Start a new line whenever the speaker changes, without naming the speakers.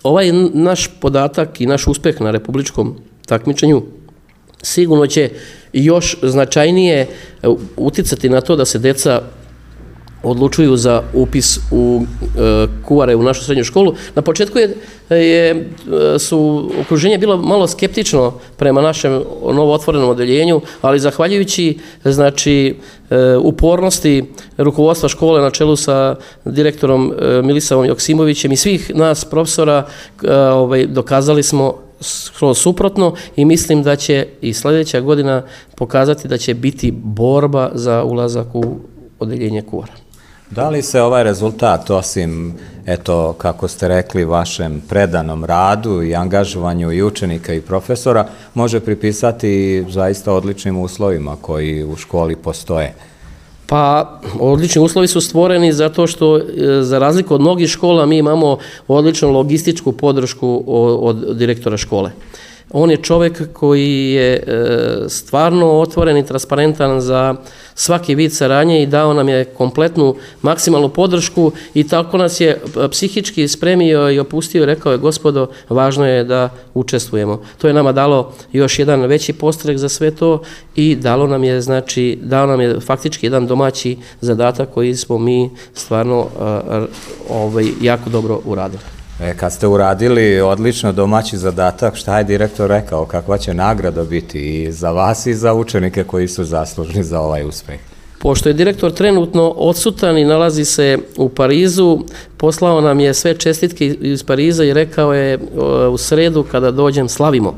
Ovaj naš podatak i naš uspeh na republičkom takmičenju sigurno će još značajnije uticati na to da se deca odlučuju za upis u kuvare u našu srednju školu. Na početku su okruženje bilo malo skeptično prema našem novo otvorenom odeljenju, ali zahvaljujući upornosti rukovodstva škole na čelu sa direktorom Milisavom Joksimovićem i svih nas profesora dokazali smo suprotno i mislim da će i sljedeća godina pokazati da će biti borba za ulazak u odeljenje kuvara.
Da li se ovaj rezultat, osim, eto, kako ste rekli, vašem predanom radu i angažovanju i učenika i profesora, može pripisati zaista odličnim uslovima koji u školi postoje?
Pa, odlični uslovi su stvoreni zato što, za razliku od mnogih škola, mi imamo odličnu logističku podršku od direktora škole. On je čovjek koji je stvarno otvoren i transparentan za svaki vid saradnje i dao nam je kompletnu maksimalnu podršku i tako nas je psihički spremio i opustio i rekao je: gospodo, važno je da učestvujemo. To je nama dalo još jedan veći podstrek za sve to i dao nam je faktički jedan domaći zadatak koji smo mi stvarno jako dobro uradili.
Kad ste uradili odlično domaći zadatak, šta je direktor rekao, kakva će nagrada biti i za vas i za učenike koji su zaslužni za ovaj uspeh?
Pošto je direktor trenutno odsutan i nalazi se u Parizu, poslao nam je sve čestitke iz Pariza i rekao je: u sredu kada dođem slavimo.